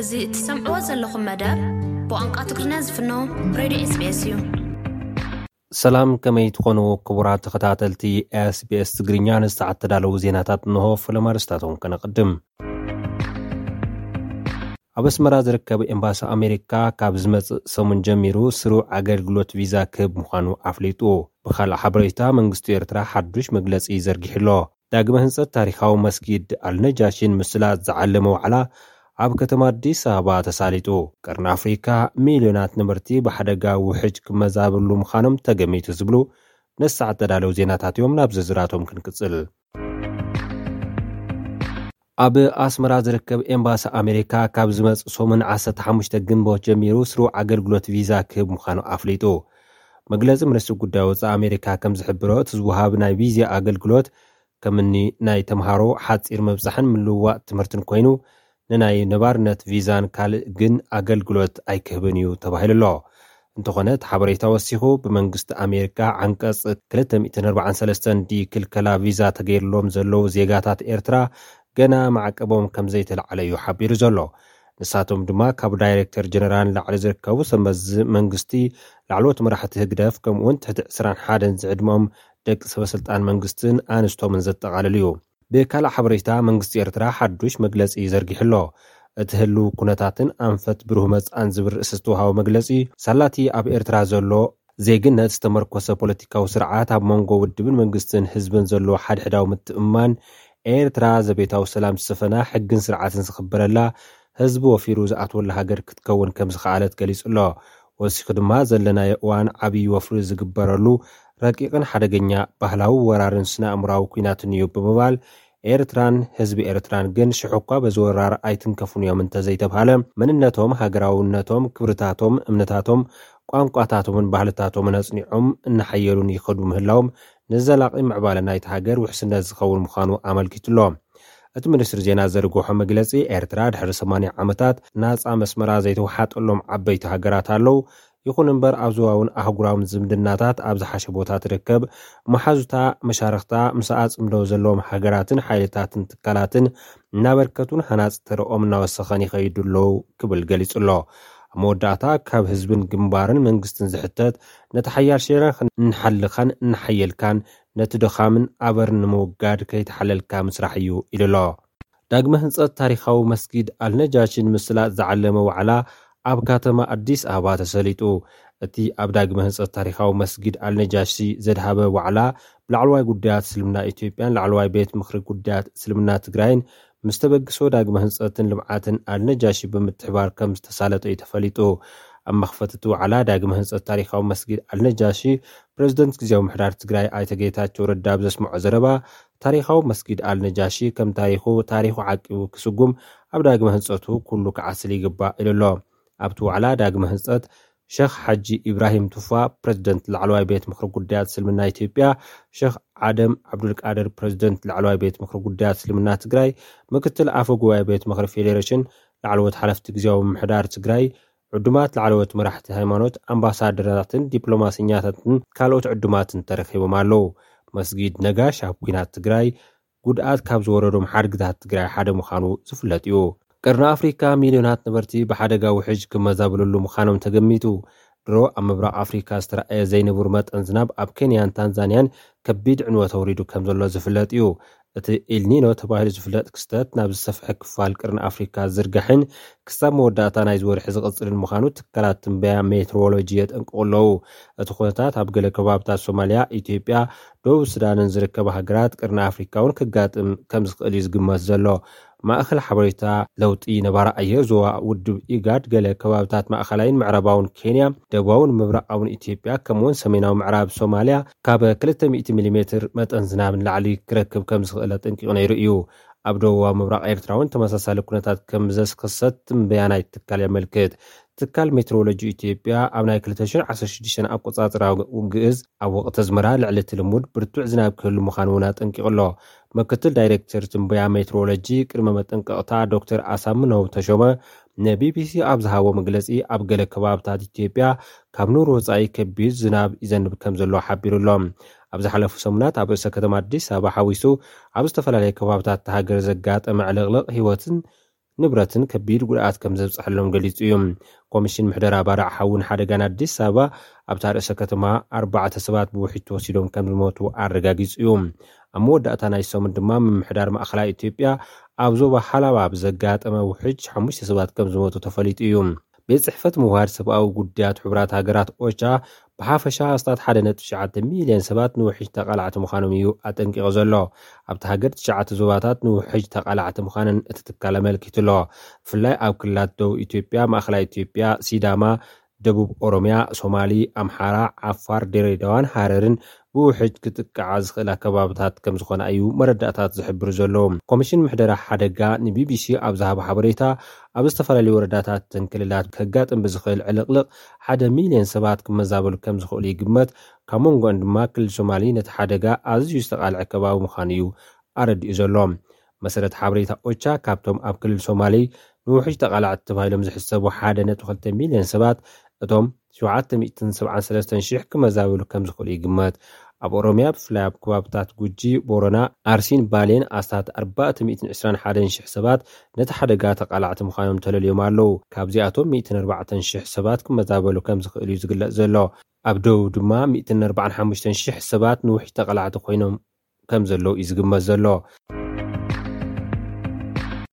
እዚ እትሰምዕዎ ዘለኹም መደብ ብቋንቋ ትግርኛ ዝፍኖ ሬድዮ ኤስቢኤስ እዩ። ሰላም፣ ከመይ ትኾኑ ክቡራት ተኸታተልቲ ኤስቢኤስ ትግርኛ? ንሰዓት ተዳለዉ ዜናታት እንሆ። ፈለማ ኣርእስታቶም ከነቕድም። ኣብ ኣስመራ ዝርከብ ኤምባሲ ኣሜሪካ ካብ ዝመጽእ ሰሙን ጀሚሩ ስሩዕ ኣገልግሎት ቪዛ ክህብ ምዃኑ ኣፍሊጡ። ብኻልእ ሓበሬታ፣ መንግስቲ ኤርትራ ሓዱሽ መግለጺ ዘርጊሑ ኣሎ። ዳግመ ህንጸት ታሪኻዊ መስጊድ ኣልነጃሺን ምስላጥ ዝዓለመ ዋዕላ ኣብ ከተማ ኣዲስ ኣበባ ተሳሊጡ። ቀርኒ ኣፍሪካ ሚልዮናት ነበርቲ ብሓደጋ ውሕጅ ክመዛብሉ ምዃኖም ተገሚቱ ዝብሉ ነሳዕ ተዳለዉ ዜናታት እዮም። ናብ ዝርዝራቶም ክንቅጽል። ኣብ ኣስመራ ዝርከብ ኤምባሲ ኣሜሪካ ካብ ዝመጽእ ሰሙን ዓሰርተ ሓሙሽተ ግንቦት ጀሚሩ ስሩዕ ኣገልግሎት ቪዛ ክህብ ምዃኑ ኣፍሊጡ። መግለጺ ሚኒስትሪ ጉዳይ ወጻኢ ኣሜሪካ ከም ዝሕብሮ፣ እቲ ዝወሃብ ናይ ቪዛ ኣገልግሎት ከምኒ ናይ ተምሃሮ ሓጺር ምብጻሕን ምልውዋጥ ትምህርትን ኮይኑ፣ ንናይ ነባርነት ቪዛን ካልእ ግን ኣገልግሎት ኣይክህብን እዩ ተባሂሉ ኣሎ። እንተኾነ እቲ ሓበሬታ ወሲኹ፣ ብመንግስቲ ኣሜሪካ ዓንቀጽ ክልተ ሚእትን ኣርባዓን ሰለስተን ዲ ክልከላ ቪዛ ተገይርሎም ዘለዉ ዜጋታት ኤርትራ ገና ማዕቀቦም ከም ዘይተለዓለ እዩ ሓቢሩ ዘሎ። ንሳቶም ድማ ካብ ዳይሬክተር ጀነራል ንላዕሊ ዝርከቡ ሰብ መዚ መንግስቲ፣ ላዕለዎት መራሕቲ ህግደፍ፣ ከምኡውን ትሕቲ ዕስራን ሓደን ዝዕድመኦም ደቂ ሰበስልጣን መንግስትን ኣንስቶምን ዘጠቓልል እዩ። ብካልእ ሓበሬታ፣ መንግስቲ ኤርትራ ሓዱሽ መግለጺ ዘርጊሑ ኣሎ። እቲ ህልው ኩነታትን ኣንፈት ብሩህ መጻእን ዝብል ርእሲ ዝተዋሃቦ መግለጺ፣ ሳላቲ ኣብ ኤርትራ ዘሎ ዜግነት ዝተመርኮሰ ፖለቲካዊ ስርዓት ኣብ መንጎ ውድብን መንግስትን ህዝብን ዘሎ ሓድሕዳዊ ምትእምማን፣ ኤርትራ ዘቤታዊ ሰላም ዝሰፈና፣ ሕግን ስርዓትን ዝኽበረላ፣ ህዝቢ ወፊሩ ዝኣትወላ ሃገር ክትከውን ከም ዝኸኣለት ገሊጹ ኣሎ። ወሲኹ ድማ፣ ዘለናዮ እዋን ዓብዪ ወፍሪ ዝግበረሉ ረቂቕን ሓደገኛ ባህላዊ ወራርን ስነ ኣእምራዊ ኲናትን እዩ ብምባል፣ ኤርትራን ህዝቢ ኤርትራን ግን ሽሕ እኳ በዚ ወራር ኣይትንከፉን እዮም እንተዘይተብሃለ፣ መንነቶም፣ ሃገራውነቶም፣ ክብርታቶም፣ እምነታቶም፣ ቋንቋታቶምን ባህልታቶምን ኣጽኒዖም እናሓየሉን ይኸዱ ምህላዎም ንዘላቒ ምዕባለ ናይቲ ሃገር ውሕስነት ዝኸውን ምዃኑ ኣመልኪቱ ኣሎ። እቲ ሚኒስትሪ ዜና ዘርግሖ መግለጺ፣ ኤርትራ ድሕሪ ሰማንያ ዓመታት ናጻ መስመራ ዘይተወሓጠሎም ዓበይቲ ሃገራት ኣለዉ። ይኹን እምበር፣ ኣብ ዞባውን ኣህጉራውን ዝምድናታት ኣብ ዝሓሸ ቦታ ትርከብ። መሓዙታ፣ መሻርኽታ፣ ምስኣ ጽምዶ ዘለዎም ሃገራትን ሓይልታትን ትካላትን እናበርከቱን ሃናጺ ተረኦም እናወሰኸን ይኸይዱ ኣለዉ ክብል ገሊጹ ኣሎ። ኣብ መወዳእታ፣ ካብ ህዝብን ግንባርን መንግስትን ዝሕተት፣ ነቲ ሓያል ሸነኽ እንሓልኻን እናሓየልካን ነቲ ድኻምን ኣበር ንምውጋድ ከይተሓለልካ ምስራሕ እዩ ኢሉ ኣሎ። ዳግመ ህንጸት ታሪኻዊ መስጊድ ኣልነጃሺ ንምስላጥ ዝዓለመ ዋዕላ ኣብ ከተማ ኣዲስ ኣበባ ተሰሊጡ። እቲ ኣብ ዳግመ ህንጸት ታሪኻዊ መስጊድ ኣልነጃሺ ዘድሃበ ዋዕላ ብላዕለዋይ ጉዳያት እስልምና ኢትዮጵያን ላዕለዋይ ቤት ምኽሪ ጉዳያት እስልምና ትግራይን ምስ ተበግሶ ዳግመ ህንጸትን ልምዓትን ኣልነጃሺ ብምትሕባር ከም ዝተሳለጠ እዩ ተፈሊጡ። ኣብ መኽፈቲ እቲ ዋዕላ ዳግመ ህንጸት ታሪኻዊ መስጊድ ኣልነጃሺ ፕሬዝደንት ግዜያዊ ምሕዳር ትግራይ ኣይተ ጌታቸው ረዳ ኣብ ዘስምዖ ዘረባ፣ ታሪኻዊ መስጊድ ኣልነጃሺ ከም ታሪኹ፣ ታሪኹ ዓቂቡ ክስጉም ኣብ ዳግመ ህንጸቱ ኩሉ ክዓስል ይግባእ ኢሉ ኣሎ። ኣብቲ ዋዕላ ዳግመ ህንጸት ሸኽ ሓጂ ኢብራሂም ቱፋ፣ ፕሬዝደንት ላዕለዋይ ቤት ምኽሪ ጉዳያት እስልምና ኢትዮጵያ፣ ሸኽ ዓደም ዓብዱልቃድር፣ ፕሬዝደንት ላዕለዋይ ቤት ምኽሪ ጉዳያት እስልምና ትግራይ፣ ምክትል ኣፈ ጉባኤ ቤት ምኽሪ ፌዴሬሽን፣ ላዕለዎት ሓለፍቲ ግዜያዊ ምምሕዳር ትግራይ፣ ዕዱማት ላዕለዎት መራሕቲ ሃይማኖት፣ ኣምባሳደራትን ዲፕሎማሰኛታትን ካልኦት ዕዱማትን ተረኺቦም ኣለዉ። መስጊድ ነጋሽ ኣብ ኲናት ትግራይ ጉድኣት ካብ ዝወረዶም ሓድግታት ትግራይ ሓደ ምዃኑ ዝፍለጥ እዩ። ቀርኒ ኣፍሪካ ሚልዮናት ነበርቲ ብሓደጋ ውሕጅ ክመዛበልሉ ምዃኖም ተገሚቱ። ድሮ ኣብ ምብራቕ ኣፍሪካ ዝተረኣየ ዘይንቡር መጠን ዝናብ ኣብ ኬንያን ታንዛንያን ከቢድ ዕንወት ኣውሪዱ ከም ዘሎ ዝፍለጥ እዩ። እቲ ኤልኒኖ ተባሂሉ ዝፍለጥ ክስተት ናብ ዝሰፍሐ ክፋል ቀርኒ ኣፍሪካ ዝርጋሕን ክሳብ መወዳእታ ናይዚ ወርሒ ዝቕጽልን ምዃኑ ትካላት ትንበያ ሜትሮሎጂ የጠንቅቑ ኣለዉ። እቲ ኩነታት ኣብ ገለ ከባብታት ሶማልያ፣ ኢትዮጵያ፣ ደቡብ ሱዳንን ዝርከባ ሃገራት ቀርኒ ኣፍሪካ እውን ክጋጥም ከም ዝኽእል እዩ ዝግመት ዘሎ። ማእኸል ሓበሬታ ለውጢ ነባሪ ኣየር ዞባ ውድብ ኢጋድ፣ ገለ ከባብታት ማእኸላይን ምዕራባውን ኬንያ፣ ደቡባውን ምብራቓውን ኢትዮጵያ፣ ከምኡውን ሰሜናዊ ምዕራብ ሶማልያ ካብ ክልተ ሚእቲ ሚሊሜትር መጠን ዝናብ ንላዕሊ ክረክብ ከም ዝኽእል ኣጠንቂቑ ነይሩ እዩ። ኣብ ደቡባዊ ምብራቕ ኤርትራ እውን ተመሳሳሊ ኩነታት ከም ዘስክሰት ትንበያ ናይ ትካል የመልክት። ትካል ሜትሮሎጂ ኢትዮጵያ ኣብ ናይ ክልተ ሽሕን ዓሰርተ ሽዱሽተን ኣቆጻጽራ ግእዝ ኣብ ወቕቲ ኣዝመራ ልዕሊ እቲ ልሙድ ብርቱዕ ዝናብ ክህሉ ምዃኑ እውን ኣጠንቂቑ ኣሎ። ምክትል ዳይሬክተር ትንበያ ሜትሮሎጂ ቅድመ መጠንቀቕታ ዶክተር ኣሳምነው ተሾመ ንቢቢሲ ኣብ ዝሃቦ መግለጺ፣ ኣብ ገለ ከባብታት ኢትዮጵያ ካብ ኑር ወጻኢ ከቢድ ዝናብ ይዘንብ ከም ዘሎ ሓቢሩ ኣሎ። ኣብ ዝሓለፉ ሰሙናት ኣብ ርእሰ ከተማ ኣዲስ ኣበባ ሓዊሱ ኣብ ዝተፈላለዩ ከባብታት እታ ሃገር ዘጋጠመ ዕልቕልቕ ህይወትን ንብረትን ከቢድ ጉድኣት ከም ዘብፀሐሎም ገሊፁ እዩ። ኮሚሽን ምሕደራ ባርዕ ሓውን ሓደጋን ኣዲስ ኣበባ ኣብታ ርእሰ ከተማ ኣርባዕተ ሰባት ብውሕጅ ተወሲዶም ከም ዝሞቱ ኣረጋጊፁ እዩ። ኣብ መወዳእታ ናይ ሰሙን ድማ ምምሕዳር ማእኸላይ ኢትዮጵያ ኣብ ዞባ ሓላባ ብዘጋጠመ ውሕጅ ሓሙሽተ ሰባት ከም ዝሞቱ ተፈሊጡ እዩ። ቤት ጽሕፈት ምውሃድ ሰብኣዊ ጉዳያት ሕቡራት ሃገራት ኦቻ ብሓፈሻ ኣስታት ሓደ ነጥቢ ትሽዓተ ሚልዮን ሰባት ንውሕጅ ተቓላዕቲ ምዃኖም እዩ ኣጠንቂቑ ዘሎ። ኣብቲ ሃገር ትሽዓተ ዞባታት ንውሕጅ ተቓላዕቲ ምዃነን እቲ ትካል ኣመልኪቱ ኣሎ። ብፍላይ ኣብ ክልላት ደቡብ ኢትዮጵያ፣ ማእኸላይ ኢትዮጵያ፣ ሲዳማ፣ ደቡብ ኦሮሚያ፣ ሶማሊ፣ ኣምሓራ፣ ዓፋር፣ ድሬዳዋን ሃረርን ብውሕጅ ክጥቃዓ ዝኽእል ኣከባብታት ከም ዝኾና እዩ መረዳእታት ዝሕብር ዘሎ። ኮሚሽን ምሕደራ ሓደጋ ንቢቢሲ ኣብ ዝሃቦ ሓበሬታ፣ ኣብ ዝተፈላለዩ ወረዳታትን ክልላት ከጋጥም ብዝኽእል ዕልቕልቕ ሓደ ሚልዮን ሰባት ክመዛበሉ ከም ዝኽእሉ ይግመት። ካብ መንጎን ድማ ክልል ሶማሊ ነቲ ሓደጋ ኣዝዩ ዝተቓልዐ ከባቢ ምዃኑ እዩ ኣረዲኡ ዘሎ። መሰረት ሓበሬታ ኦቻ፣ ካብቶም ኣብ ክልል ሶማሊ ንውሕጅ ተቓላዕቲ ተባሂሎም ዝሕሰቡ ሓደ ነጥቢ ክልተ ሚልዮን ሰባት፣ እቶም ሸውዓተ ሚእትን ሰብዓን ሰለስተን ሽሕ ክመዛበሉ ከም ዝኽእሉ ይግመት። ኣብ ኦሮሚያ፣ ብፍላይ ኣብ ከባብታት ጉጂ፣ ቦረና፣ ኣርሲን ባሌን ኣስታት ኣርባዕተ ሚእትን ዕስራን ሓደን ሽሕ ሰባት ነቲ ሓደጋ ተቓላዕቲ ምዃኖም ተለልዮም ኣለዉ። ካብዚኣቶም ሚእትን ኣርባዕተን ሽሕ ሰባት ክመዛበሉ ከም ዝኽእሉ እዩ ዝግለጽ ዘሎ። ኣብ ደቡብ ድማ ሚእትን ኣርባዓን ሓሙሽተን ሽሕ ሰባት ንውሕጅ ተቓላዕቲ ኮይኖም ከም ዘለዉ እዩ ዝግመት ዘሎ።